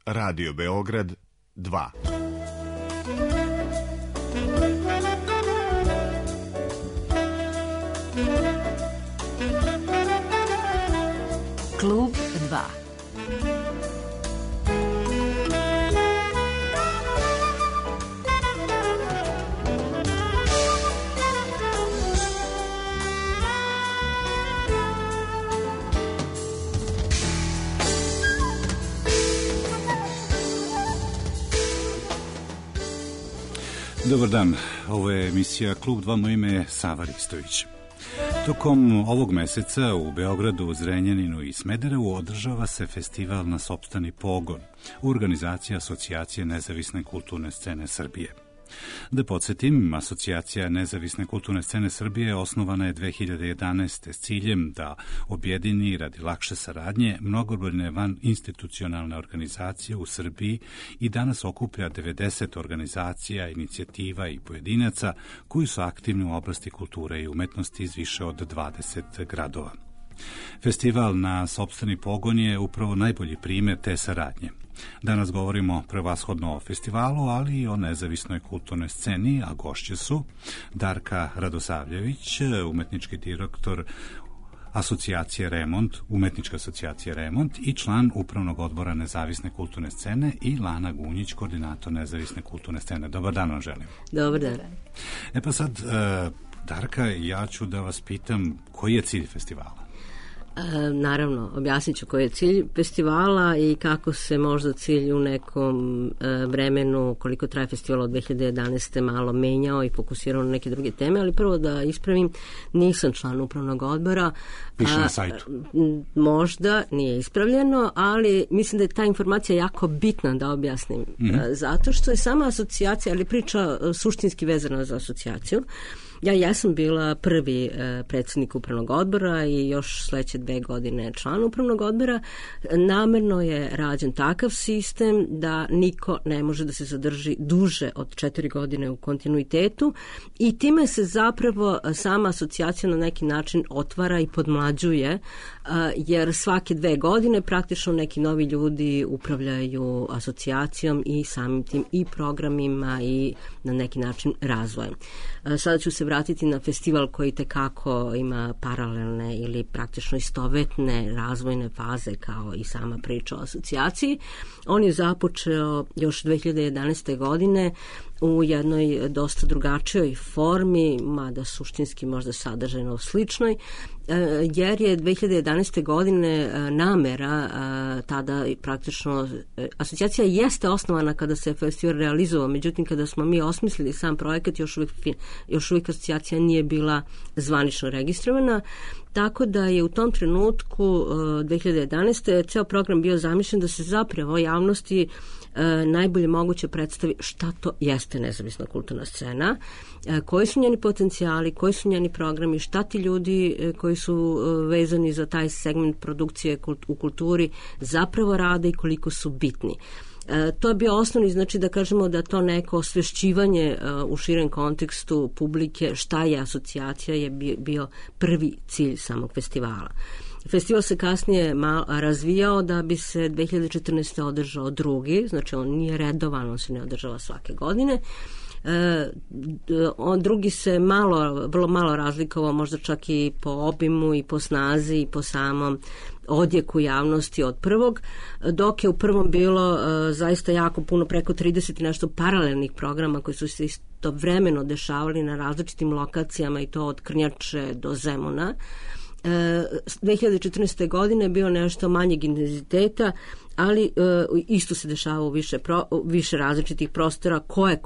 Radio Beograd 2. Klub 2. Dobar dan, ovo je emisija Klub 2, moje ime je Sava Ristović. Tokom ovog meseca u Beogradu, Zrenjaninu i Smederevu održava se festival Na sopstveni pogon u organizaciji Asocijacije nezavisne kulturne scene Srbije. Da podsjetim, Asocijacija nezavisne kulturne scene Srbije osnovana je 2011. s ciljem da objedini radi lakše saradnje mnogobrojne van institucionalne organizacije u Srbiji i danas okuplja 90 organizacija, inicijativa i pojedinaca koji su aktivni u oblasti kulture i umetnosti iz više od 20 gradova. Festival Na sopstveni pogon je upravo najbolji primjer te saradnje. Danas govorimo prevashodno o festivalu, ali i o nezavisnoj kulturnoj sceni, a gošće su Darka Radosavljević, umetnički direktor Asocijacije Remont, umetnička asocijacija Remont i član upravnog odbora nezavisne kulturne scene i Lana Gunjić, koordinator nezavisne kulturne scene. Dobar dan vam želim. Dobar dan. Pa sad, Darka, ja ću da vas pitam koji je cilj festivala? Naravno, objasnit ću koji je cilj festivala i kako se možda cilj u nekom vremenu, koliko traje festival od 2011. malo menjao i fokusirao na neke druge teme, ali prvo da ispravim, nisam član upravnog odbora. Piše na sajtu. Možda nije ispravljeno, ali mislim da je ta informacija jako bitna da objasnim. Zato što je sama asocijacija, ali priča suštinski vezana za asocijaciju. Ja jesam bila prvi predsjednik upravnog odbora i još sledeće 2 godine član upravnog odbora. Namerno je rađen takav sistem da niko ne može da se zadrži duže od 4 godine u kontinuitetu i time se zapravo sama asocijacija na neki način otvara i podmlađuje, jer svake 2 godine praktično neki novi ljudi upravljaju asocijacijom i samim tim i programima i na neki način razvojem. Sada ću se vratiti na festival koji tekako ima paralelne ili praktično istovetne razvojne faze kao i sama priča o asocijaciji. On je započeo još 2011. godine u jednoj dosta drugačijoj formi, mada suštinski možda sadržajno sličnoj, jer je 2011. godine namera tada praktično, asocijacija jeste osnovana kada se festival realizovao, međutim kada smo mi osmislili sam projekat još uvijek asocijacija nije bila zvanično registrovana, tako da je u tom trenutku 2011. ceo program bio zamišljen da se zapravo javnosti najbolje moguće predstavi šta to jeste nezavisna kulturna scena, koji su njeni potencijali, koji su njeni programi, šta ti ljudi koji su vezani za taj segment produkcije u kulturi zapravo rade i koliko su bitni. To je bio osnovni, znači da kažemo da to neko osvešćivanje u širem kontekstu publike šta je asocijacija je bio prvi cilj samog festivala. Festival se kasnije razvijao da bi se 2014. održao drugi, znači on nije redovan, on se ne održava svake godine. Drugi se vrlo malo razlikovao, možda čak i po obimu i po snazi i po samom odjeku javnosti od prvog, dok je u prvom bilo zaista jako puno, preko 30 i nešto paralelnih programa koji su se istovremeno dešavali na različitim lokacijama i to od Krnjače do Zemuna. 2014. godine je bio nešto manjeg intenziteta, ali isto se dešava u više različitih prostora koje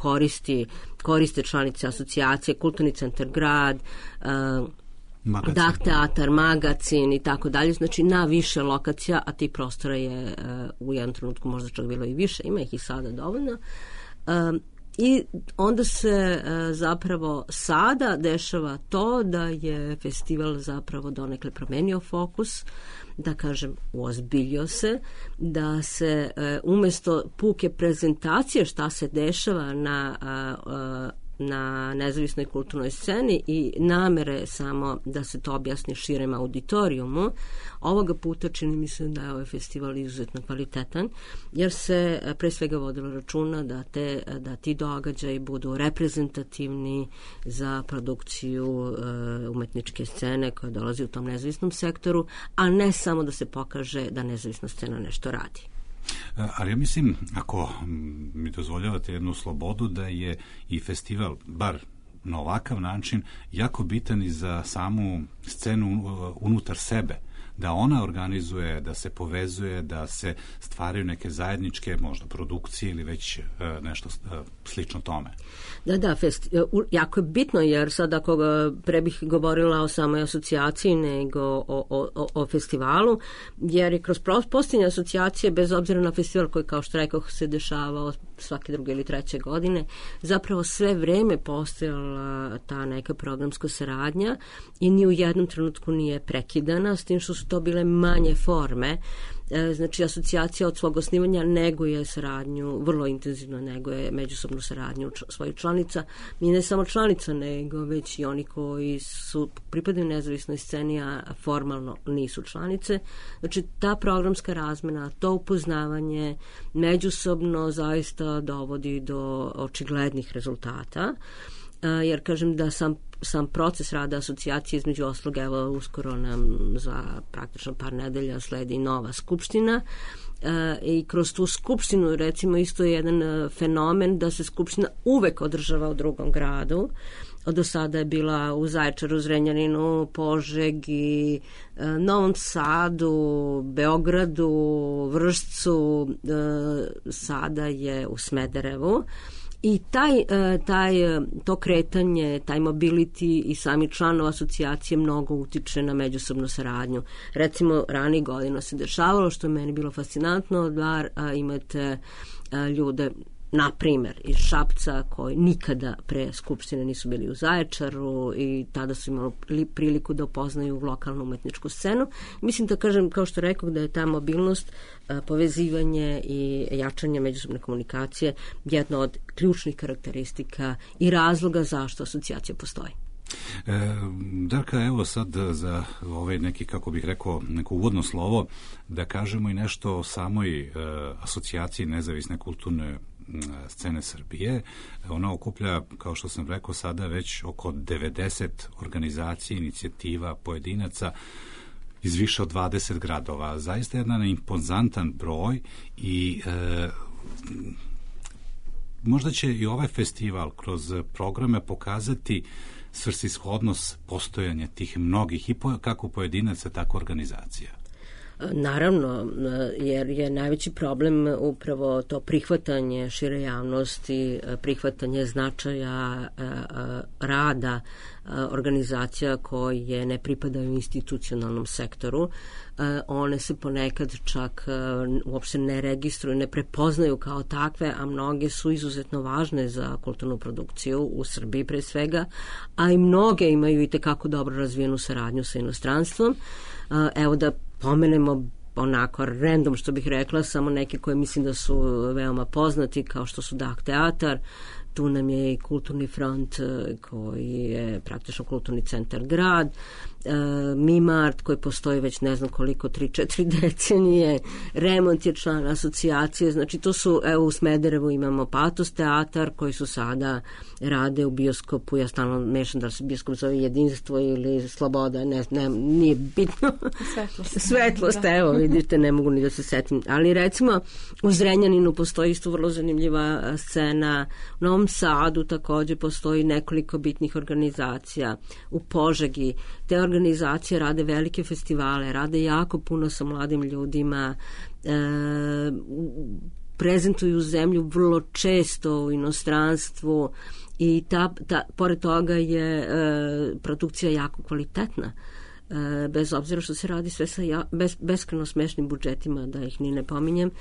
koriste članice asocijacije, Kulturni centar grad, Dah teatar, magacin i tako dalje, znači na više lokacija, a ti prostora je u jednom trenutku možda čak bilo i više, ima ih i sada dovoljno. I onda se zapravo sada dešava to da je festival zapravo donekle promenio fokus, da kažem uozbiljio se, da se umjesto puke prezentacije šta se dešava na na nezavisnoj kulturnoj sceni i namere samo da se to objasni širem auditorijumu, ovoga puta čini mi se da je ovaj festival izuzetno kvalitetan, jer se pre svega vodilo računa da ti događaji budu reprezentativni za produkciju umetničke scene koja dolazi u tom nezavisnom sektoru, a ne samo da se pokaže da nezavisna scena nešto radi. Ali ja mislim, ako mi dozvoljavate jednu slobodu, da je i festival, bar na ovakav način, jako bitan i za samu scenu unutar sebe, da ona organizuje, da se povezuje, da se stvaraju neke zajedničke možda produkcije ili već nešto slično tome. Da, jako je bitno, jer sad ako pre bih govorila o samoj asocijaciji nego o festivalu, jer je kroz postojanje asocijacije, bez obzira na festival koji, kao što rekao, se dešavao svake druge ili treće godine, zapravo sve vreme postojala ta neka programska saradnja i ni u jednom trenutku nije prekidana, s tim što su to bile manje forme. Znači, asocijacija od svog osnivanja neguje saradnju, vrlo intenzivno neguje međusobnu saradnju svojih članica. I ne samo članica, nego već i oni koji su pripadaju nezavisnoj sceni, a formalno nisu članice. Znači, ta programska razmena, to upoznavanje međusobno zaista dovodi do očiglednih rezultata. Jer kažem da sam proces rada asocijacije, između ostalog, evo uskoro nam za praktično par nedelja sledi nova skupština i kroz tu skupštinu, recimo, isto je jedan fenomen da se skupština uvek održava u drugom gradu. Do sada je bila u Zaječaru, Zrenjaninu, Požegi, Novom Sadu, Beogradu, Vršcu, sada je u Smederevu. I to kretanje, taj mobility i sami članova asocijacije mnogo utiče na međusobnu saradnju. Recimo, ranih godina se dešavalo, što je meni bilo fascinantno, da imate ljude, na primjer, iz Šapca, koji nikada pre skupštine nisu bili u Zaječaru i tada su imali priliku da upoznaju lokalnu umetničku scenu. Mislim da kažem, kao što rekao, da je ta mobilnost, povezivanje i jačanje međusobne komunikacije jedno od ključnih karakteristika i razloga zašto asocijacija postoji. Darka, evo sad za ovaj neki, kako bih rekao, neko uvodno slovo, da kažemo i nešto o samoj asocijaciji nezavisne kulturne scene Srbije. Ona okuplja, kao što sam rekao, sada već oko 90 organizacija, inicijativa, pojedinaca iz više od 20 gradova. Zaista jedan impozantan broj i možda će i ovaj festival kroz programe pokazati svrsishodnost postojanja tih mnogih i kako pojedinaca, tako organizacija. Naravno, jer je najveći problem upravo to prihvatanje šire javnosti, prihvatanje značaja rada organizacija koje ne pripadaju institucionalnom sektoru. One se ponekad čak uopšte ne registruju, ne prepoznaju kao takve, a mnoge su izuzetno važne za kulturnu produkciju u Srbiji pre svega, a i mnoge imaju i tekako dobro razvijenu saradnju sa inostranstvom. Evo da pomenemo onako random, što bih rekla, samo neke koje mislim da su veoma poznati, kao što su Dah teatar, tu nam je i Kulturni front koji je praktično kulturni centar grad, Mimart koji postoji već ne znam koliko, 3-4 decenije, Remont je član asocijacije, znači to su, evo u Smederevu imamo Patos teatar koji su sada rade u bioskopu, ja stalno mešam da se bioskop zove Jedinstvo ili Sloboda, nije bitno. Svetlost, evo vidite, ne mogu ni da se setim, ali recimo u Zrenjaninu postoji isto vrlo zanimljiva scena, u Novom Sadu također postoji nekoliko bitnih organizacija, u Požegi te organizacije rade velike festivale, rade jako puno sa mladim ljudima, prezentuju zemlju vrlo često u inostranstvu i pored toga je produkcija jako kvalitetna. Bez obzira što se radi sve sa beskrajno smešnim budžetima, da ih ni ne pominjem,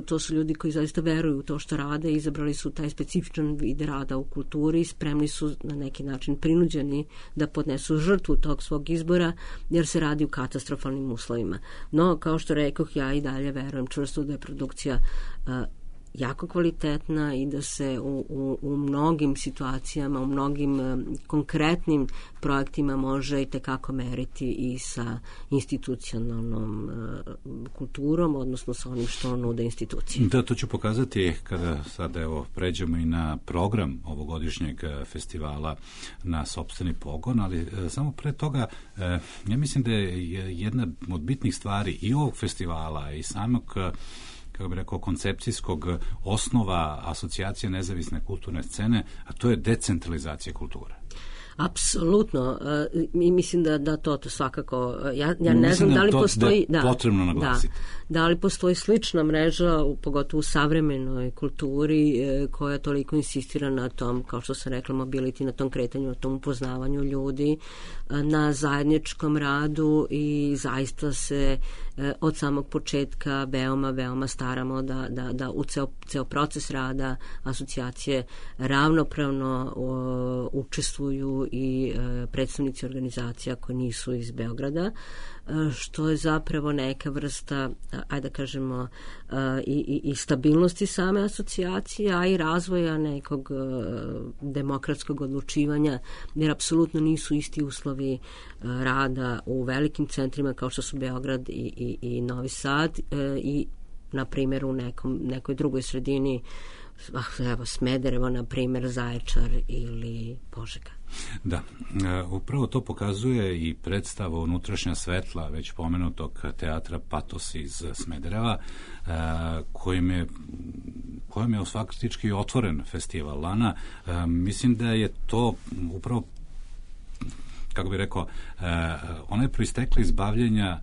to su ljudi koji zaista veruju u to što rade, izabrali su taj specifičan vid rada u kulturi, spremni su na neki način prinuđeni da podnesu žrtvu tog svog izbora, jer se radi u katastrofalnim uslovima. No, kao što rekoh, ja i dalje verujem čvrsto da je produkcija jako kvalitetna i da se u mnogim situacijama, u mnogim konkretnim projektima može i tekako meriti i sa institucionalnom kulturom, odnosno sa onim što nude institucije. Da, to ću pokazati kada sada pređemo i na program ovogodišnjeg festivala na sopstveni pogon, ali samo pre toga ja mislim da je jedna od bitnih stvari i ovog festivala i samog, kako bih rekao, koncepcijskog osnova asocijacije nezavisne kulturne scene, a to je decentralizacija kulture. Apsolutno. I mislim da to svakako, ja ne znam da li postoji... Da, potrebno naglasiti. Da li postoji slična mreža, pogotovo u savremenoj kulturi, koja toliko insistira na tom, kao što sam rekla, mobility, na tom kretanju, na tom upoznavanju ljudi, na zajedničkom radu i zaista se od samog početka veoma staramo da u ceo proces rada asocijacije ravnopravno učestvuju i predstavnici organizacija koji nisu iz Beograda, što je zapravo neka vrsta, ajde da kažemo, i stabilnosti same asocijacije, a i razvoja nekog demokratskog odlučivanja, jer apsolutno nisu isti uslovi rada u velikim centrima kao što su Beograd i Novi Sad i, na primjer, u nekoj drugoj sredini, evo Smederevo, na primjer, Zaječar ili Požega. Da, upravo to pokazuje i predstava Unutrašnja svetla, već pomenutog teatra Patos iz Smedereva, kojim je faktički otvoren festival Lana. Mislim da je to upravo, kako bih rekao, ona je proistekla iz bavljenja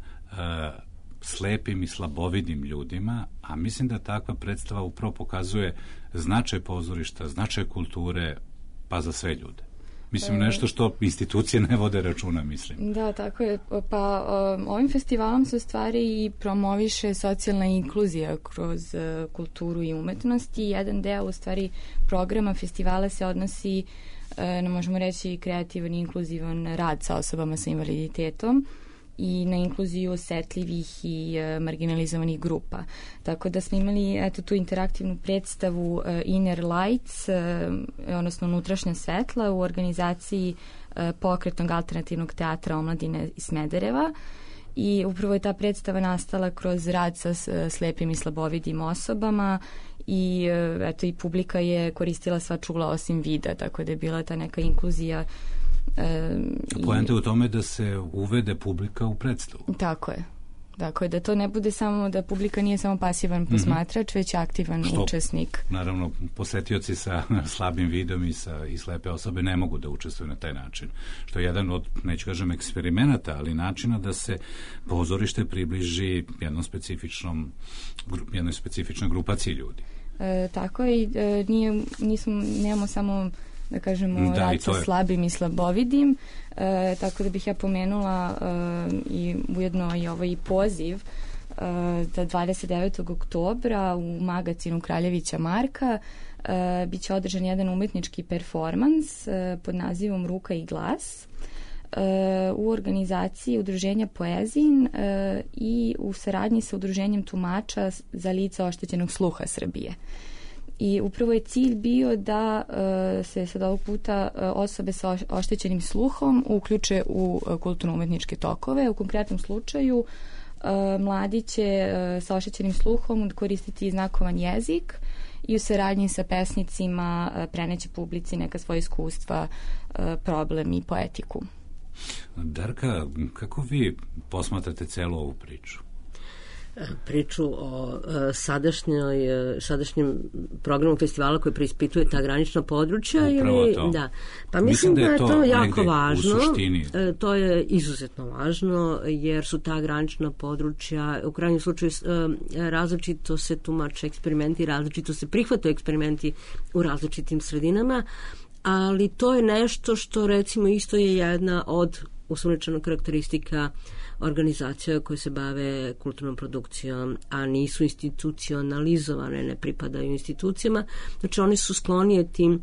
slepim i slabovidim ljudima, a mislim da takva predstava upravo pokazuje značaj pozorišta, značaj kulture, pa za sve ljude. Mislim, nešto što institucije ne vode računa, mislim. Da, tako je. Pa ovim festivalom se u stvari i promoviše socijalna inkluzija kroz kulturu i umetnost i jedan deo u stvari programa festivala se odnosi na, možemo reći, kreativan i inkluzivan rad sa osobama sa invaliditetom i na inkluziju osetljivih i marginalizovanih grupa. Tako da smo imali tu interaktivnu predstavu Inner Lights, odnosno Unutrašnja svetla, u organizaciji Pokretnog alternativnog teatra omladine iz Smedereva, i upravo je ta predstava nastala kroz rad sa slepim i slabovidim osobama i i publika je koristila sva čula osim vida, tako da je bila ta neka inkluzija. Poenta je u tome da se uvede publika u predstavu. Tako je. Dakle, da to ne bude samo, da publika nije samo pasivan posmatrač, već aktivan učesnik. Naravno, posetioci sa slabim vidom i slepe osobe ne mogu da učestvuju na taj način. Što je jedan od, neću kažem, eksperimenata, ali načina da se pozorište približi jednoj specifičnoj grupaciji ljudi. Tako je, i nemamo samo, da kažemo, rad sa slabim i slabovidim, tako da bih ja pomenula i ujedno i ovaj poziv za 29. oktobra u magazinu Kraljevića Marka bit će održan jedan umetnički performans pod nazivom Ruka i glas u organizaciji Udruženja Poezin i u saradnji sa Udruženjem tumača za lica oštećenog sluha Srbije. I upravo je cilj bio da se sad ovog puta osobe sa oštećenim sluhom uključe u kulturno-umetničke tokove. U konkretnom slučaju mladi će sa oštećenim sluhom koristiti znakovan jezik i u saradnji sa pesnicima preneće publici neka svoja iskustva, problem i poetiku. Darka, kako vi posmatrate celu ovu priču? Priču o sadašnjem programu festivala koji preispituje ta granična područja. Ili, da. Pa mislim da je to jako važno. To je izuzetno važno, jer su ta granična područja u krajnjem slučaju različito se tumače eksperimenti, različito se prihvataju eksperimenti u različitim sredinama, ali to je nešto što, recimo, isto je jedna od uslovničenog karakteristika organizacija koje se bave kulturnom produkcijom, a nisu institucionalizovane, ne pripadaju institucijama. Znači, oni su sklonije tim,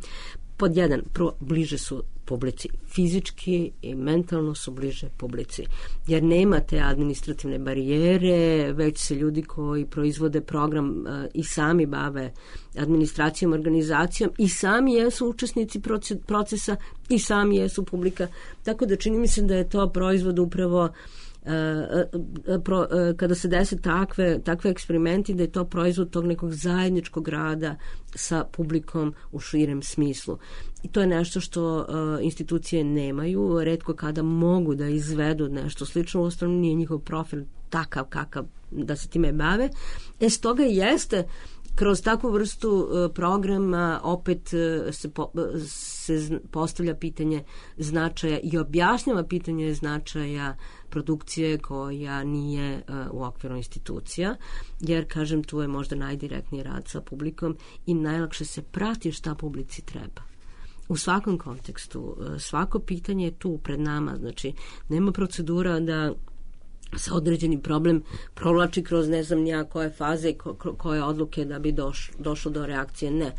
pod jedan, bliže su publici. Fizički i mentalno su bliže publici. Jer nema te administrativne barijere, već se ljudi koji proizvode program i sami bave administracijom, organizacijom i sami jesu učesnici procesa i sami jesu publika. Tako da čini mi se da je to proizvod upravo kada se dese takve eksperimenti, da je to proizvod tog nekog zajedničkog rada sa publikom u širem smislu. I to je nešto što institucije nemaju, retko kada mogu da izvedu nešto slično, uostalom nije njihov profil takav kakav da se time bave. Stoga jeste kroz takvu vrstu programa opet se postavlja pitanje značaja i objašnjava pitanje značaja produkcije koja nije u okviru institucija, jer, kažem, tu je možda najdirektniji rad sa publikom i najlakše se prati šta publici treba. U svakom kontekstu, svako pitanje je tu pred nama, znači nema procedura da se određeni problem provlači kroz ne znam nija koje faze i koje odluke da bi došlo do reakcije. Ne.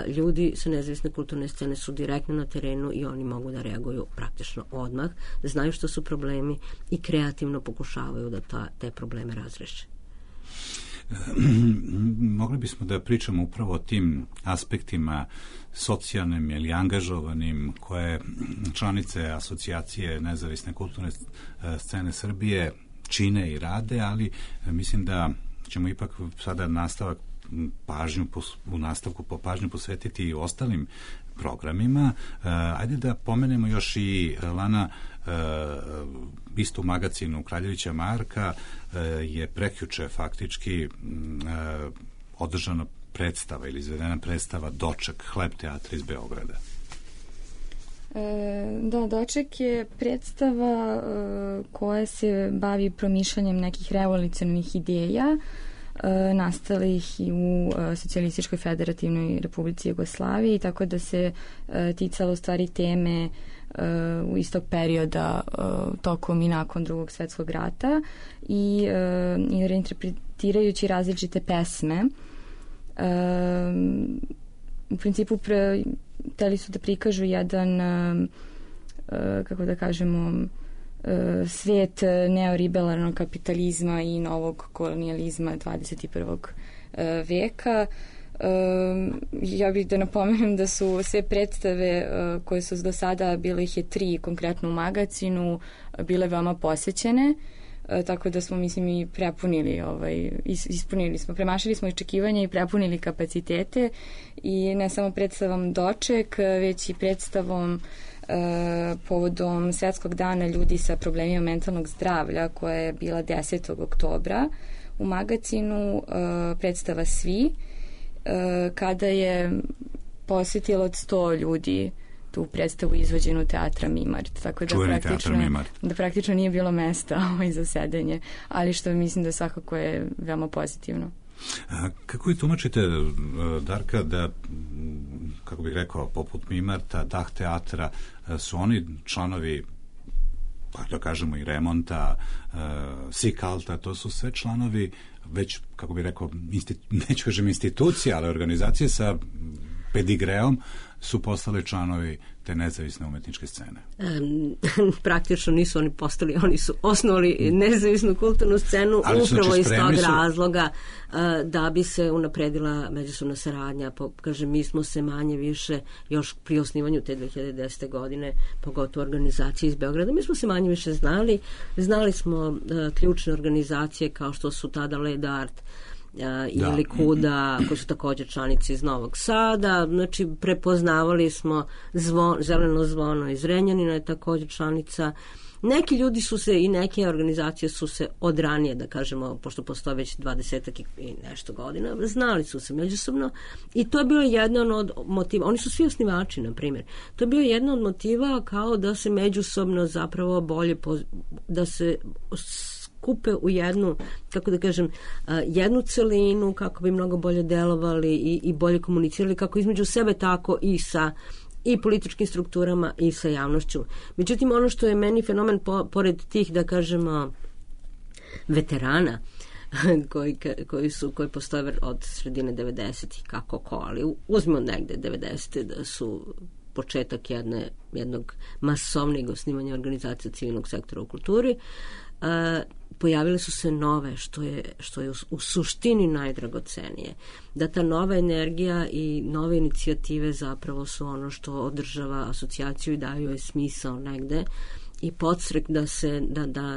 Ljudi sa nezavisne kulturne scene su direktno na terenu i oni mogu da reaguju praktično odmah, da znaju što su problemi i kreativno pokušavaju da te probleme razreše. Mogli bismo da pričamo upravo o tim aspektima socijalnim ili angažovanim koje članice asocijacije nezavisne kulturne scene Srbije čine i rade, ali mislim da ćemo ipak sada u nastavku pažnju posvetiti i ostalim programima. Ajde da pomenemo još i Lana, isto u magazinu Kraljevića Marka je prekjuče faktički održana predstava ili izvedena predstava Doček, Hleb teatra iz Beograda. Da, Doček je predstava koja se bavi promišljanjem nekih revolucionarnih ideja nastalih i u Socijalističkoj federativnoj Republici Jugoslaviji, tako da se ticalo u stvari teme u istog perioda tokom i nakon Drugog svjetskog rata i reinterpretirajući različite pesme. U principu hteli su da prikažu jedan kako da kažemo svijet neoliberalnog kapitalizma i novog kolonijalizma 21. veka. Ja bih da napomenem da su sve predstave koje su do sada, bile ih je 3 konkretno u magazinu, bile veoma posvećene, tako da smo, mislim, i prepunili, ispunili smo, premašili smo očekivanja i prepunili kapacitete i ne samo predstavom Doček, već i predstavom povodom Svjetskog dana ljudi sa problemima mentalnog zdravlja koja je bila 10. oktobra u magazinu, predstava Svi, kada je posjetilo od 100 ljudi tu predstavu izvođenu teatra Mimart. Tako da praktično nije bilo mesta za sedenje, ali što mislim da svakako je veoma pozitivno. Kako vi tumačite, Darka, da, kako bih rekao, poput Mimarta, Dah teatra, su oni članovi, da kažemo, i Remonta, Sikalta, to su sve članovi već, kako bih rekao, neću kažem institucije, ali organizacije sa pedigreom su postali članovi te nezavisne umetničke scene. Praktično nisu oni postali, oni su osnovali nezavisnu kulturnu scenu upravo iz tog razloga da bi se unapredila međusobna saradnja. Kažem, mi smo se manje više još pri osnivanju te 2010. godine, pogotovo organizacije iz Beograda, mi smo se manje više znali smo ključne organizacije kao što su tada Led Art ili Kuda, koji su također članici iz Novog Sada, znači prepoznavali smo Zeleno zvono iz Renjanina je također članica. Neki ljudi su se i neke organizacije su se od ranije, da kažemo, pošto postoje već 20 i nešto godina, znali su se međusobno i to je bilo jedan od motiva. Oni su svi osnivači, na primjer. To je bio jedan od motiva kao da se međusobno zapravo bolje, da se kupe u jednu, kako da kažem, jednu celinu kako bi mnogo bolje delovali i bolje komunicirali kako između sebe, tako i sa i političkim strukturama i sa javnošću. Međutim, ono što je meni fenomen pored tih, da kažemo, veterana koji postoje od sredine 90-ih, ali uzmimo negde 90-te da su početak jednog masovnijeg osnivanja organizacije civilnog sektora u kulturi, pojavile su se nove, što je u suštini najdragocenije. Da ta nova energija i nove inicijative zapravo su ono što održava asocijaciju i daju joj smisao negde i podstrek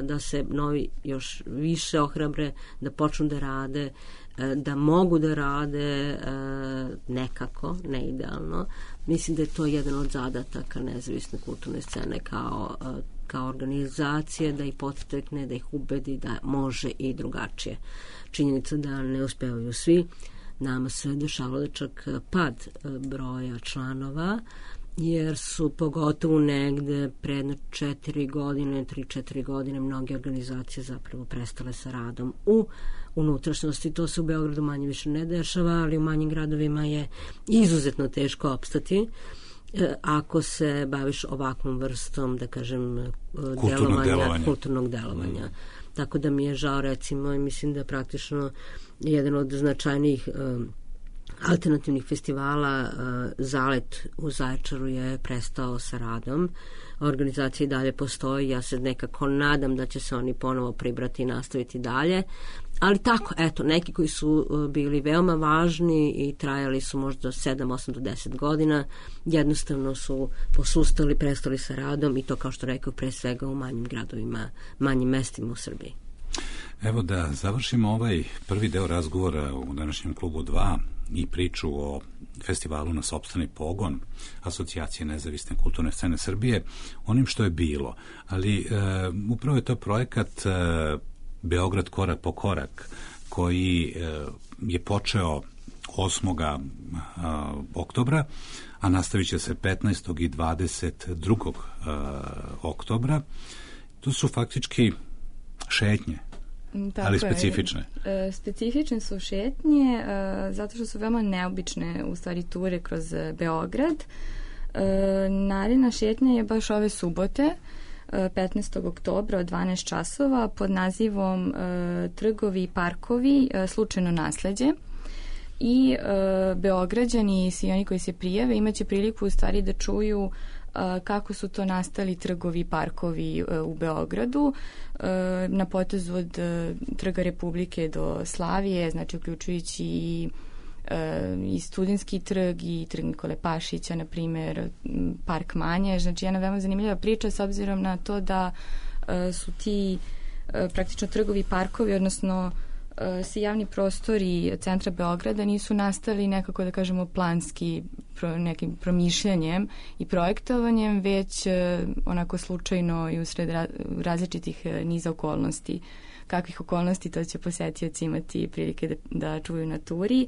da se novi još više ohrabre, da počnu da rade, da mogu da rade nekako, ne idealno. Mislim da je to jedan od zadataka nezavisne kulturne scene kao organizacije, da ih podstakne, da ih ubedi da može i drugačije. Činjenica da ne uspevaju svi. Nama se dešavalo da čak pad broja članova, jer su pogotovo negde pred 3-4 godine mnoge organizacije zapravo prestale sa radom u unutrašnjosti. To se u Beogradu manje više ne dešava, ali u manjim gradovima je izuzetno teško opstati ako se baviš ovakvom vrstom, da kažem, kulturnog delovanja. Tako da mi je žao, recimo, i mislim da praktično jedan od značajnijih alternativnih festivala Zalet u Zaječaru je prestao sa radom. Organizacija i dalje postoji, ja se nekako nadam da će se oni ponovo pribrati i nastaviti dalje. Ali tako, eto, neki koji su bili veoma važni i trajali su možda 7, 8 do 10 godina, jednostavno su posustali, prestali sa radom i to, kao što rekao, pre svega u manjim gradovima, manjim mestima u Srbiji. Evo da završimo ovaj prvi deo razgovora u današnjem klubu 2 i priču o festivalu Na sopstveni pogon Asocijacije nezavisne kulturne scene Srbije, onim što je bilo. Ali upravo je to projekat Beograd korak po korak, koji je počeo 8. oktobra, a nastavit će se 15. i 22. oktobra. To su faktički šetnje, tako ali specifične. Specifične su šetnje, zato što su veoma neobične u stvari ture kroz Beograd. Naredna šetnja je baš ove subote, 15. oktobra od 12 časova pod nazivom Trgovi i parkovi, slučajno nasleđe. I Beograđani i svi oni koji se prijave imaće priliku u stvari da čuju kako su to nastali trgovi i parkovi u Beogradu na potezu od Trga Republike do Slavije, znači uključujući i Studentski trg i Trg Nikole Pašića, na primjer Park Manjež. Znači jedna veoma zanimljiva priča s obzirom na to da su ti praktično trgovi i parkovi, odnosno svi javni prostori centra Beograda nisu nastali nekako, da kažemo, planski nekim promišljanjem i projektovanjem, već onako slučajno i usred različitih niza okolnosti. Kakvih okolnosti, to će posetioci imati prilike da čuju na turi.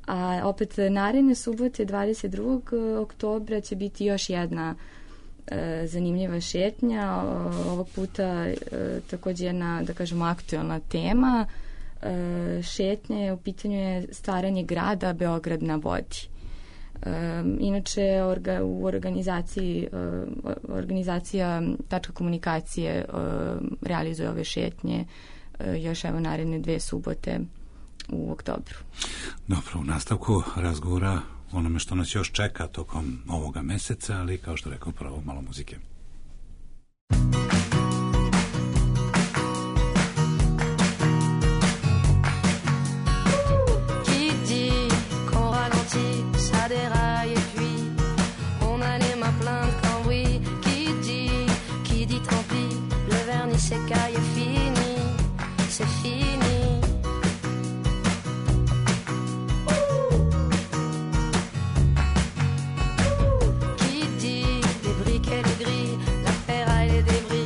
A opet naredne subote 22. oktobra će biti još jedna zanimljiva šetnja. Ovog puta također jedna, da kažemo, aktualna tema. Šetnje, u pitanju je staranje grada Beograd na vodi. Inače u organizacija Tačka komunikacije realizuje ove šetnje još evo naredne 2 subote u oktobru. Dobro, u nastavku razgovora onome što nas još čeka tokom ovoga meseca, ali kao što rekao, prvo malo muzike. Des briques et des grilles, la ferraille et des débris.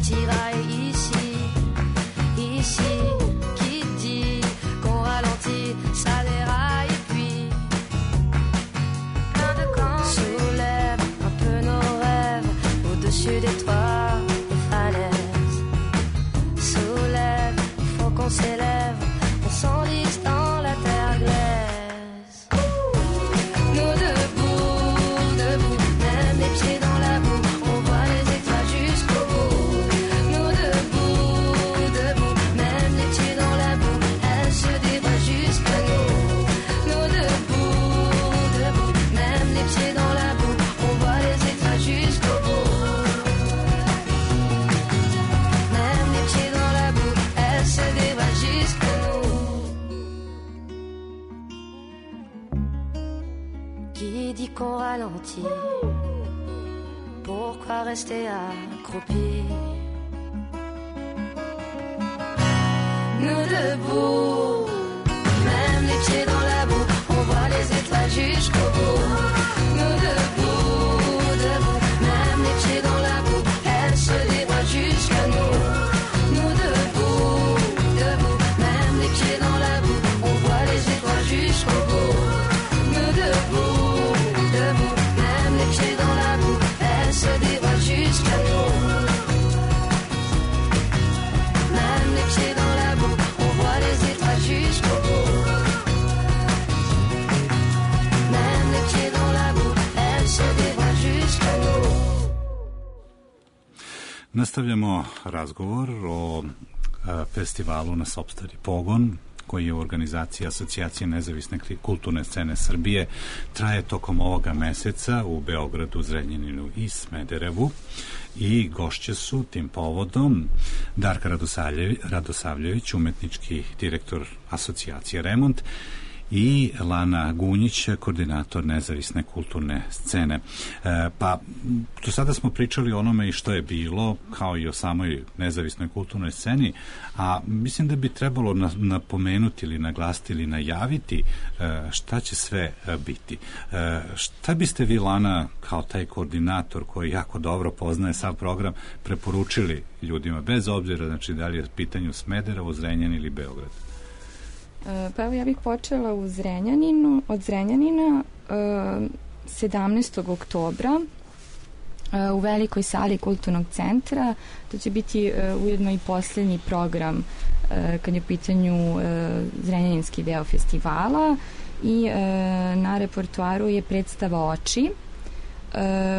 tiraille ici, ici. Qui dit qu'on ralentit, ça déraille et puis plein de camps. Soulève un peu nos rêves au-dessus des toits, des falaises. Soulève, il faut qu'on s'élève, on s'enlise dans la terre glaise. Nous debout, debout, même les pieds dans la boue, on voit les étoiles jusqu'au bout. Nous debout, debout, même les pieds dans la boue, elles se dévoilent jusqu'à nous. Nous debout, debout, même les pieds dans la boue, on voit les étoiles jusqu'au bout. Même les pieds dans la boue, elles se dévoilent jusqu'à nous. Qui dit qu'on ralentit? Pourquoi rester accroupi? Nous debout, même les pieds dans la boue, on voit les étoiles jusqu'au bout. Nous debout, debout, même les pieds dans la boue, elles se dévoilent jusqu'à nous. Nous debout, debout, même les pieds dans la boue, on voit les étoiles jusqu'au bout. Nous debout, debout, même les pieds dans la boue, elles se dévoilent jusqu'à nous. Même les pieds dans la boue, on voit les étoiles jusqu'au bout. Même les pieds dans la boue, elles se dévoilent jusqu'à nous. Nastavljamo razgovor o festivalu Na sopstveni pogon, koji je u organizaciji Asocijacije nezavisne kulturne scene Srbije, traje tokom ovoga meseca u Beogradu, Zrenjaninu i Smederevu, i gošće su tim povodom Darka Radosavljević, umetnički direktor Asocijacije Remont, i Lana Gunjić, koordinator nezavisne kulturne scene. Pa, do sada smo pričali o onome i što je bilo, kao i o samoj nezavisnoj kulturnoj sceni, a mislim da bi trebalo napomenuti ili naglasiti ili najaviti šta će sve biti. Šta biste vi, Lana, kao taj koordinator koji jako dobro poznaje sav program, preporučili ljudima, bez obzira, znači, da li je pitanju Smederevo, Zrenjanin ili Beograd? Pa evo, ja bih počela od Zrenjanina 17. oktobra u velikoj sali kulturnog centra. To će biti ujedno i posljednji program kad je u pitanju zrenjaninski deo festivala, i na repertoaru je predstava Oči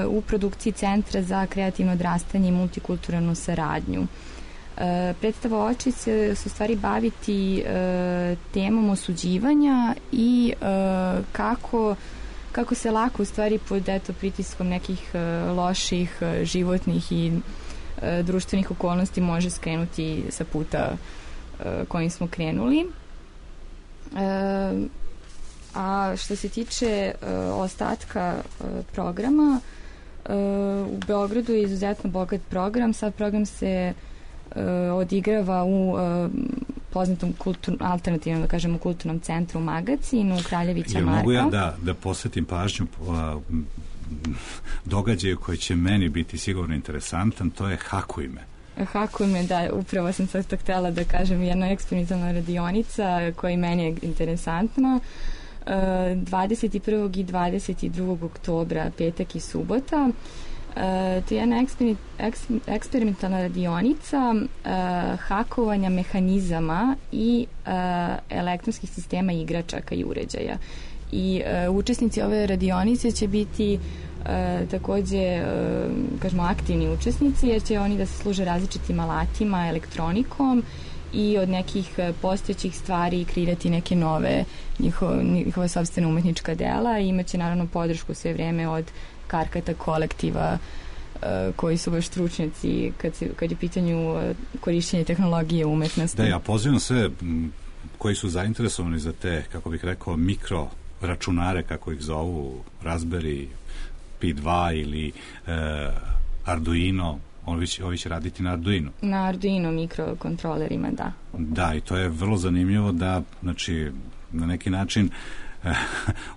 u produkciji Centra za kreativno odrastanje i multikulturalnu saradnju. Predstava Oči se u stvari baviti temom osuđivanja i kako se lako u stvari pod pritiskom nekih loših životnih i društvenih okolnosti može skrenuti sa puta kojim smo krenuli. A što se tiče ostatka programa, u Beogradu je izuzetno bogat program. Sad program se odigrava u poznatom alternativnom, da kažemo, kulturnom centru Magacinu, Kraljevića Marka. Mogu ja da posvetim pažnju događaju koji će meni biti sigurno interesantan, to je Hakujme. Hakujme, da, upravo sam sad to htjela da kažem, jedna eksperimentalna radionica koja meni je interesantna. 21. i 22. oktobra, petak i subota. To je jedna eksperimentalna radionica hakovanja mehanizama i elektronskih sistema igračaka i uređaja. I učesnici ove radionice će biti takođe, kažemo, aktivni učesnici, jer će oni da se služe različitim alatima, elektronikom i od nekih postojećih stvari kreirati neke nove njihove sopstvene umetnička dela, i imaće naravno podršku sve vreme od Karkata kolektiva koji su baš stručnjaci kad je pitanju korišćenja tehnologije umetnosti. Da, ja pozivam sve koji su zainteresovani za te, kako bih rekao, mikro računare, kako ih zovu, Raspberry Pi 2 ili Arduino. Ovi će raditi na Arduino. Na Arduino mikrokontrolerima, da. Da, i to je vrlo zanimljivo da, znači, na neki način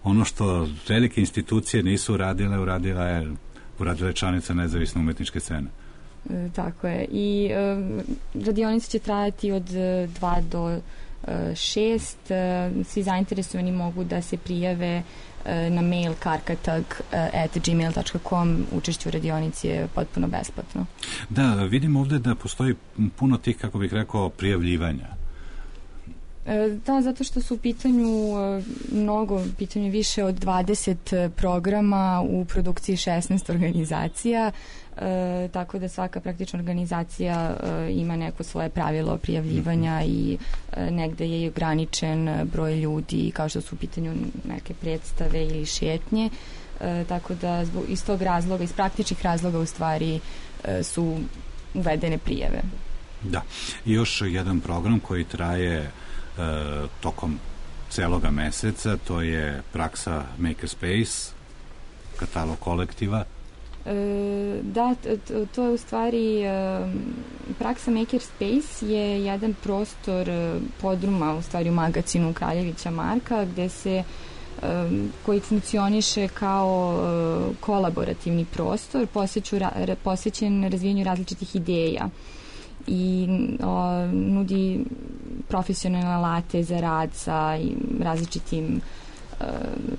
ono što velike institucije nisu uradile, uradila je članica nezavisne umetničke scene. Tako je. I radionice će trajati od 2 do 6. Svi zainteresovani mogu da se prijave na mail karkatag@gmail.com. Učešće u radionici je potpuno besplatno. Da, vidim ovde da postoji puno tih, kako bih rekao, prijavljivanja. Da, zato što su u pitanju više od 20 programa u produkciji 16 organizacija, tako da svaka praktična organizacija ima neko svoje pravilo prijavljivanja i negde je ograničen broj ljudi, kao što su u pitanju neke predstave ili šetnje, tako da iz tog razloga, iz praktičnih razloga u stvari su uvedene prijave. Da, i još jedan program koji traje tokom celoga meseca, to je praksa Makerspace, katalog kolektiva. Da, to je u stvari praksa Makerspace je jedan prostor podruma u stvari u magazinu Kraljevića Marka gde se koji funkcioniše kao kolaborativni prostor posvećen razvijanju različitih ideja i nudi profesionalne alate za rad sa različitim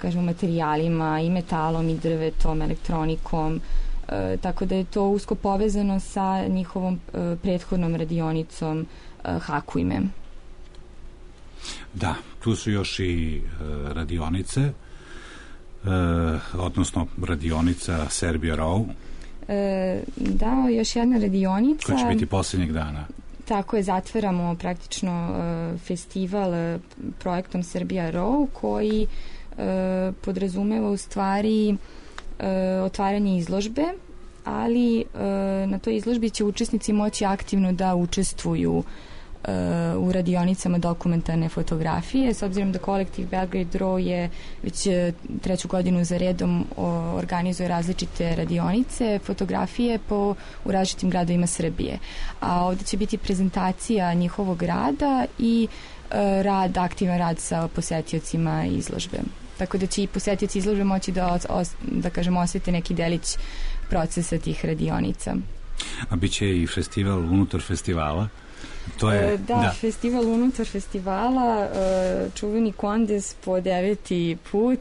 kažemo materijalima i metalom i drvetom, elektronikom, tako da je to usko povezano sa njihovom prethodnom radionicom Hakujme. Da, tu su još i radionice, odnosno radionica Serbia Row. Da, još jedna radionica. Koja će biti posljednjeg dana. Tako je, zatvaramo praktično festival projektom Serbia Row koji podrazumeva u stvari otvaranje izložbe, ali na toj izložbi će učesnici moći aktivno da učestvuju u radionicama dokumentarne fotografije, s obzirom da kolektiv Belgrade Row je već 3. godinu za redom organizuje različite radionice, fotografije u različitim gradovima Srbije. A ovdje će biti prezentacija njihovog rada i aktivan rad sa posetiocima izložbe. Tako da će i posetioci izložbe moći da kažemo osjete neki delić procesa tih radionica. A bit će i festival unutar festivala? To je, da, festival unutar festivala, čuveni Kondes po 9. put,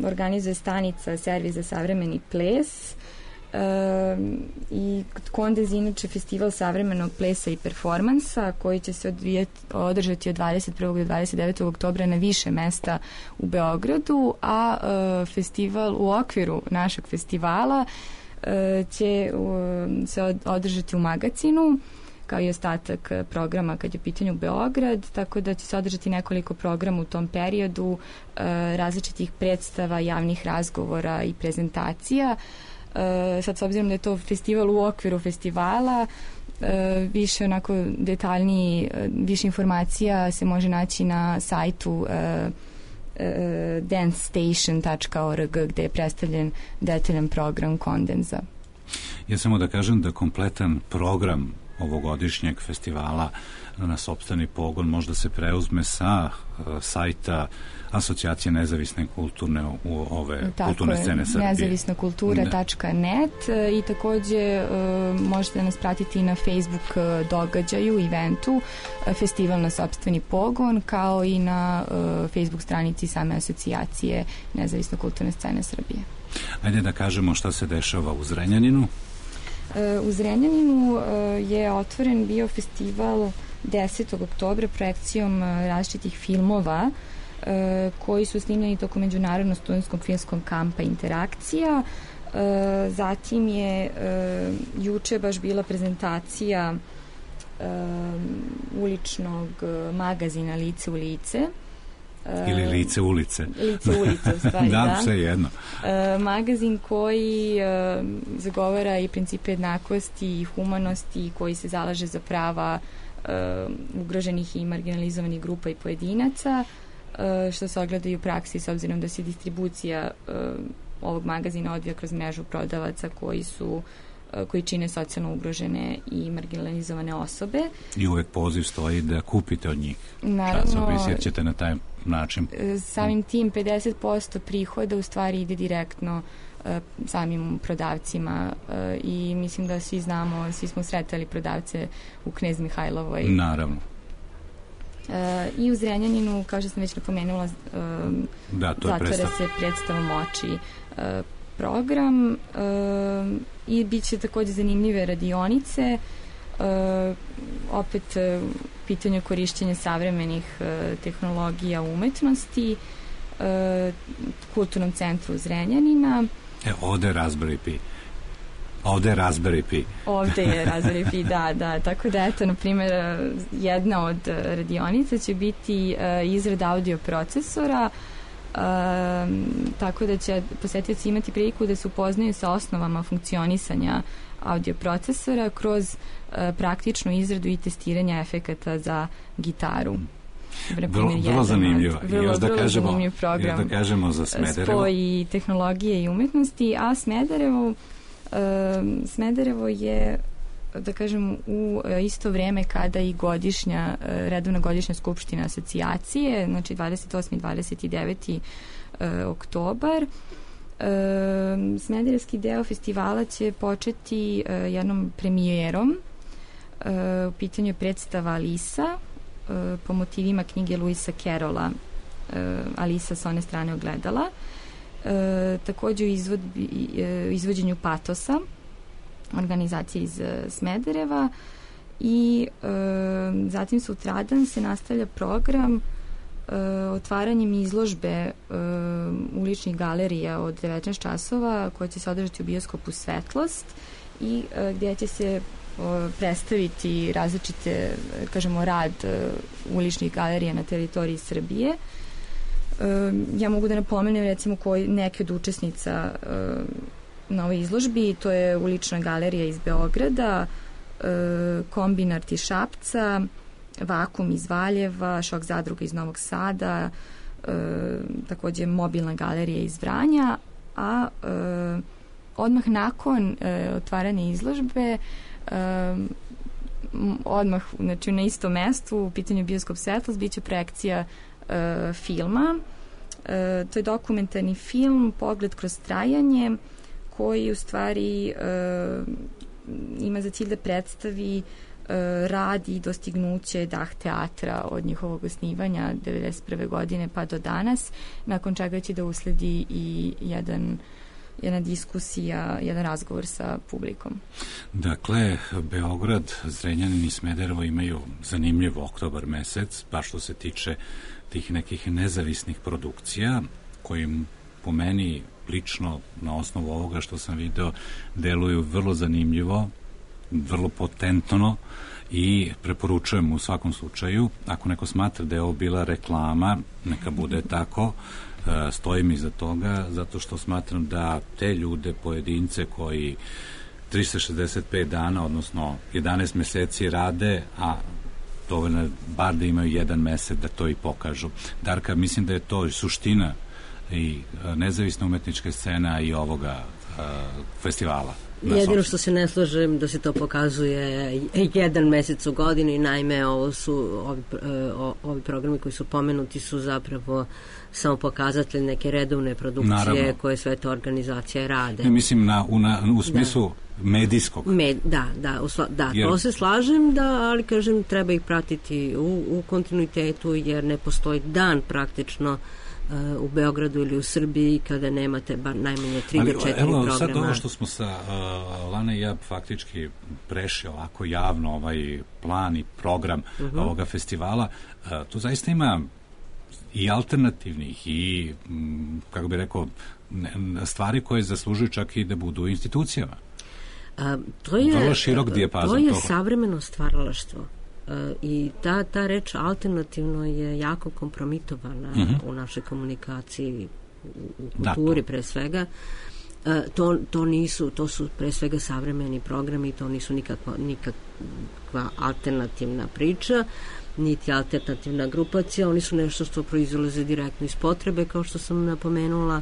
organizuje stanica Servis za savremeni ples i Kondes inače festival savremenog plesa i performansa koji će se održati od 21. do 29. oktobra na više mesta u Beogradu, a festival u okviru našeg festivala će se održati u Magacinu kao i ostatak programa kad je u pitanju Beograd, tako da će se održati nekoliko programa u tom periodu, različitih predstava, javnih razgovora i prezentacija. Sad, s obzirom da je to festival u okviru festivala, više onako detaljniji, više informacija se može naći na sajtu dancestation.org gde je predstavljen detaljan program Kondenza. Ja samo da kažem da kompletan program ovogodišnjeg festivala na sopstveni pogon možda se preuzme sa sajta Asocijacije nezavisne kulturne kulturne scene Srbije. Nezavisnakultura.net i takođe možete nas pratiti na Facebook događaju, eventu, festival na sopstveni pogon, kao i na Facebook stranici same Asocijacije nezavisne kulturne scene Srbije. Ajde da kažemo šta se dešava u Zrenjaninu. U Zrenjaninu je otvoren bio festival 10. oktobra projekcijom različitih filmova koji su snimljeni tokom međunarodnog studentskog filmskog kampa Interakcija. Zatim je juče baš bila prezentacija uličnog magazina Lice u lice. Ili Lice ulice. Lice ulice, u stvari, da. Sve jedno. Magazin koji zagovara i principe jednakosti i humanosti, koji se zalaže za prava ugroženih i marginalizovanih grupa i pojedinaca, što se ogleda i u praksi, s obzirom da se distribucija ovog magazina odvija kroz mrežu prodavaca koji čine socijalno ugrožene i marginalizovane osobe. I uvek poziv stoji da kupite od njih časopis, jer ćete na taj način. Samim tim 50% prihoda u stvari ide direktno samim prodavcima i mislim da svi znamo, svi smo sretali prodavce u Knez Mihajlovoj. Naravno. I u Zrenjaninu, kao što sam već napomenula, zatvara se predstavom oči program i bit će takođe zanimljive radionice, opet pitanje korišćenja savremenih tehnologija umetnosti, Kulturnom centru Zrenjanina. Ovde je Raspberry Pi. Ovde je Raspberry Pi, da. Tako da, eto, na primjer, jedna od radionica će biti izrada audio procesora, tako da će posetioci imati priliku da se upoznaju sa osnovama funkcionisanja audio procesora kroz praktičnu izradu i testiranje efekata za gitaru. Vrlo zanimljivo. Vrlo zanimljiv program. Da kažemo za Smederevo. Spoj tehnologije i umetnosti, a Smederevo je, da kažem, u isto vreme kada i redovna godišnja skupština asocijacije, znači 28. i 29. oktobar. Smederevski deo festivala će početi jednom premijerom. U pitanju je predstava Alisa po motivima knjige Luisa Carrolla, Alisa sa one strane ogledala. Takođe u izvođenju Patosa, organizacije iz Smedereva, i zatim sutradan se nastavlja program otvaranjem izložbe uličnih galerija od 19 časova koja će se održati u bioskopu Svetlost i gdje će se predstaviti različite, kažemo, rad uličnih galerija na teritoriji Srbije. Ja mogu da napomenem recimo neke od učesnica na ovoj izložbi, to je ulična galerija iz Beograda, Kombinart iz Šapca, Vakum iz Valjeva, Šok zadruga iz Novog Sada, takođe Mobilna galerija iz Vranja, a odmah nakon otvaranja izložbe odmah, znači na istom mestu, u pitanju bioskop Svetlost, biće projekcija filma. To je dokumentarni film Pogled kroz trajanje, koji u stvari ima za cilj da predstavi rad i dostignuće Dah teatra od njihovog osnivanja 1991. godine pa do danas, nakon čega će da usledi i jedna diskusija, jedan razgovor sa publikom. Dakle, Beograd, Zrenjanin i Smederevo imaju zanimljiv oktobar mesec, baš što se tiče tih nekih nezavisnih produkcija, kojim po meni lično, na osnovu ovoga što sam video, deluju vrlo zanimljivo, vrlo potentno, i preporučujem u svakom slučaju. Ako neko smatra da je ovo bila reklama, neka bude tako, stojim iza toga, zato što smatram da te ljude, pojedince koji 365 dana, odnosno 11 meseci rade, a dovoljno je bar da imaju jedan mesec da to i pokažu. Darka, mislim da je to suština i nezavisna umetnička scena i ovoga festivala. Jedino što se ne slažem da se to pokazuje jedan mesec u godini, naime ovo su ovi programi koji su pomenuti su zapravo samo pokazatelj neke redovne produkcije. Naravno. Koje sve to organizacije rade. Ne, mislim u smislu medijskog. To se slažem, ali kažem treba ih pratiti u kontinuitetu, jer ne postoji dan praktično u Beogradu ili u Srbiji kada nemate bar najmanje 3 do 4 programa. Evo sad ovo što smo sa Lana i ja faktički prešli ovako javno ovaj plan i program ovoga festivala, tu zaista ima i alternativnih i, kako bi rekao, stvari koje zaslužuju čak i da budu u institucijama. Vrlo širok dijapazon. To je savremeno stvaralaštvo. I ta reč alternativno je jako kompromitovana u našoj komunikaciji, u kulturi pre svega. To su pre svega savremeni programi, to nisu nikakva alternativna priča, niti alternativna grupacija, oni su nešto što proizlaze direktno iz potrebe, kao što sam napomenula,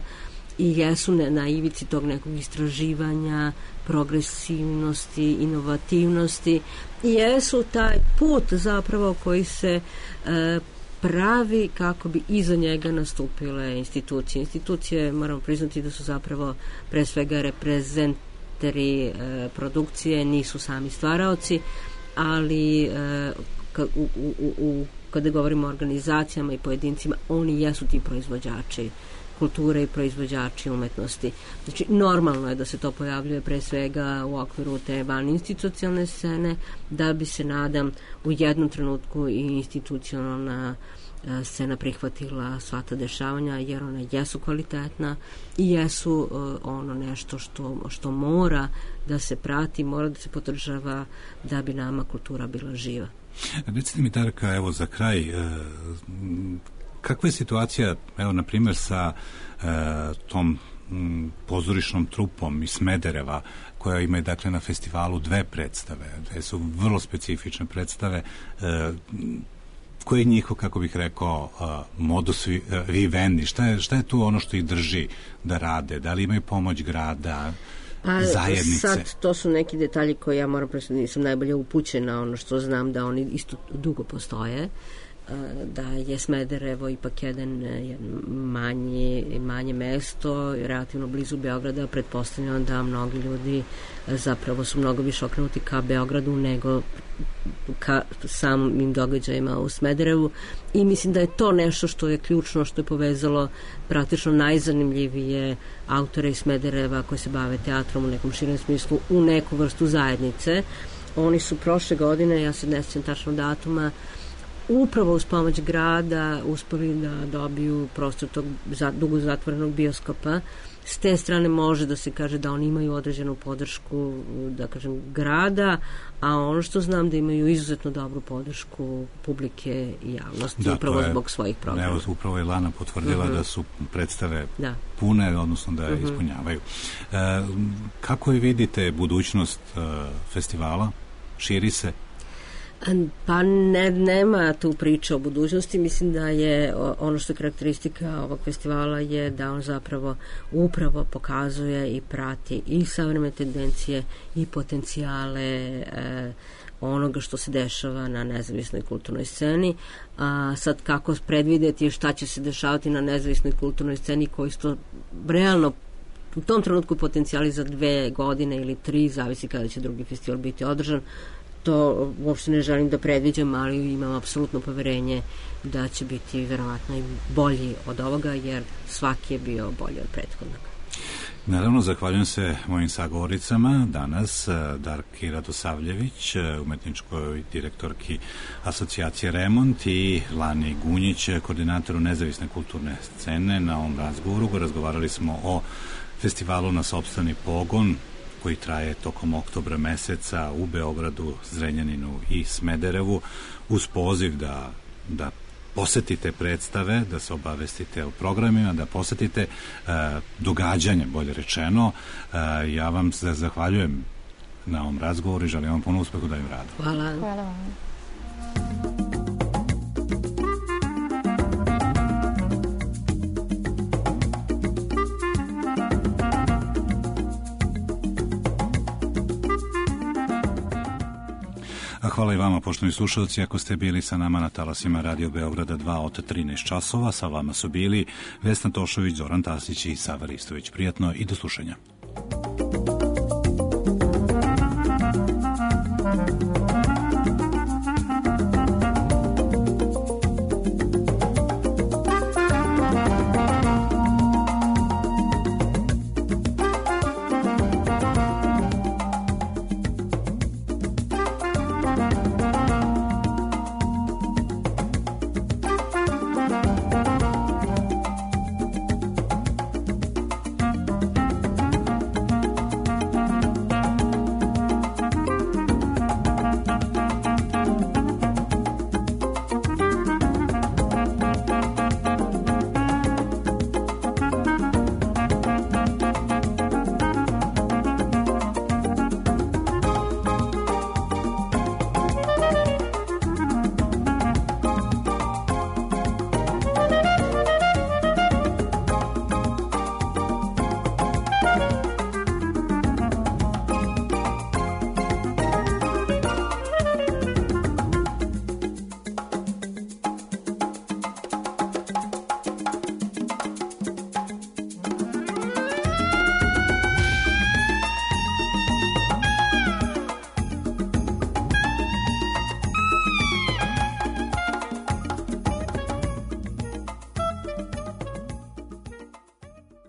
i jesu na ivici tog nekog istraživanja, progresivnosti, inovativnosti, i jesu taj put zapravo koji se pravi kako bi iza njega nastupile institucije. Institucije, moramo priznati da su zapravo pre svega reprezenteri produkcije, nisu sami stvaraoci, ali kada govorimo o organizacijama i pojedincima, oni jesu ti proizvođači kulture i proizvođači umetnosti. Znači, normalno je da se to pojavljuje pre svega u okviru te vaninstitucionalne scene, da bi se, nadam, u jednom trenutku i institucionalna scena prihvatila sva ta dešavanja, jer ona jesu kvalitetna i jesu ono nešto što mora da se prati, mora da se podržava da bi nama kultura bila živa. Recite mi, Darka, evo za kraj, kakva je situacija, evo, na primjer, sa tom pozorišnom trupom iz Smedereva, koja ima, dakle, na festivalu 2 predstave, dve su vrlo specifične predstave, koji je njihov, kako bih rekao, modus vivendi, šta je tu ono što ih drži da rade, da li imaju pomoć grada, zajednice? Sad, to su neki detalji koji ja moram prosto, nisam najbolje upućena, ono što znam da oni isto dugo postoje, da je Smederevo ipak manje mesto, relativno blizu Beograda, pretpostavljam da mnogi ljudi zapravo su mnogo više okrenuti ka Beogradu nego ka samim događajima u Smederevu, i mislim da je to nešto što je ključno, što je povezalo praktično najzanimljivije autore iz Smedereva koji se bave teatrom u nekom širem smislu u neku vrstu zajednice. Oni su prošle godine, ja se ne sjećam tačno datuma, upravo uz pomoć grada uspeli da dobiju prostor tog dugo zatvorenog bioskopa. S te strane može da se kaže da oni imaju određenu podršku, da kažem, grada, a ono što znam da imaju izuzetno dobru podršku publike i javnosti, upravo zbog svojih programa. Evo, upravo je Lana potvrdila da su predstave pune, odnosno da ispunjavaju. Kako je vidite budućnost festivala? Širi se? Pa nema tu priče o budućnosti. Mislim da je ono što je karakteristika ovog festivala je da on zapravo upravo pokazuje i prati i savremene tendencije i potencijale onoga što se dešava na nezavisnoj kulturnoj sceni. A sad kako predvideti šta će se dešavati na nezavisnoj kulturnoj sceni, koji su realno u tom trenutku potencijali za 2 godine ili 3, zavisi kada će drugi festival biti održan. To uopšte ne želim da predviđam, ali imam apsolutno poverenje da će biti verovatno i bolji od ovoga, jer svaki je bio bolji od prethodnog. Naravno, zahvaljujem se mojim sagovoricama danas, Darki Radosavljević, umetničkoj direktorki asocijacije Remont, i Lani Gunjić, koordinatoru nezavisne kulturne scene. Na ovom razgovoru razgovarali smo o festivalu Na sopstveni pogon, koji traje tokom oktobra meseca u Beogradu, Zrenjaninu i Smederevu, uz poziv da posetite predstave, da se obavestite o programima, da posetite događanje, bolje rečeno. Ja vam se zahvaljujem na ovom razgovoru i želim vam puno uspeha u daljem radu. Hvala. Hvala vam. Hvala i vama, poštovani slušalci, ako ste bili sa nama na talasima Radio Beograda 2 od 13 časova. Sa vama su bili Vesna Tošović, Zoran Tasić i Sava Ristović. Prijatno i do slušanja.